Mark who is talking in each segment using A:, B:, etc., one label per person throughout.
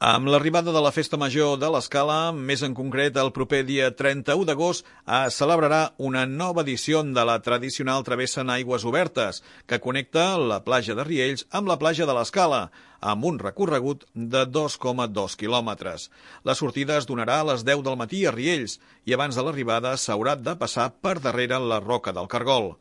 A: Amb l'arribada de la Festa Major de l'Escala, més en concret el proper dia 31 d'agost, es celebrarà una nova edició de la tradicional travessa en aigües obertes, que connecta la platja de Riells amb la platja de l'Escala, amb un recorregut de 2,2 quilòmetres. La sortida es donarà a les 10 del matí a Riells i abans de l'arribada s'haurà de passar per darrere la Roca del Cargol.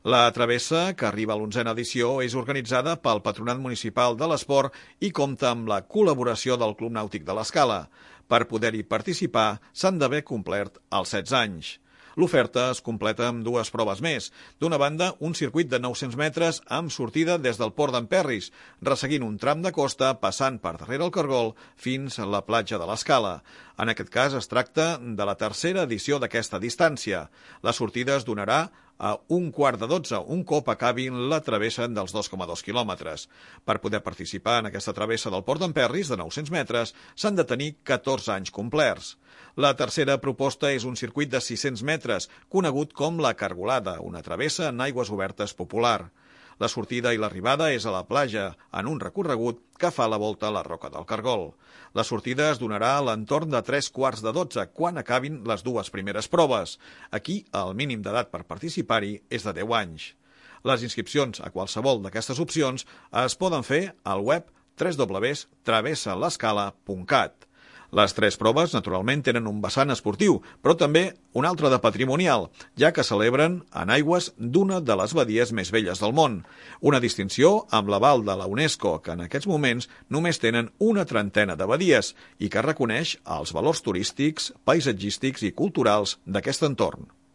A: La travessa, que arriba a l'11a edició, és organitzada pel Patronat Municipal de l'Esport i compta amb la col·laboració del Club Nàutic de l'Escala. Per poder-hi participar, s'han d'haver complert els 16 anys. L'oferta es completa amb dues proves més. D'una banda, un circuit de 900 metres amb sortida des del port d'Emperris, resseguint un tram de costa passant per darrere el Cargol fins a la platja de l'Escala. En aquest cas es tracta de la tercera edició d'aquesta distància. La sortida es donarà a 11:45, un cop acabin la travessa dels 2,2 quilòmetres. Per poder participar en aquesta travessa del port d'Emperris de 900 metres s'han de tenir 14 anys complerts. La tercera proposta és un circuit de 600 metres, conegut com la Cargolada, una travessa en aigües obertes popular. La sortida i l'arribada és a la platja, en un recorregut que fa la volta a la Roca del Cargol. La sortida es donarà a l'entorn de 11:45, quan acabin les dues primeres proves. Aquí, el mínim d'edat per participar-hi és de 10 anys. Les inscripcions a qualsevol d'aquestes opcions es poden fer al web www.travessalescala.cat. Les tres proves, naturalment, tenen un vessant esportiu, però també un altre de patrimonial, ja que celebren en aigües d'una de les badies més velles del món. Una distinció amb l'aval de la UNESCO, que en aquests moments només tenen una trentena de badies i que reconeix els valors turístics, paisatgístics i culturals d'aquest entorn.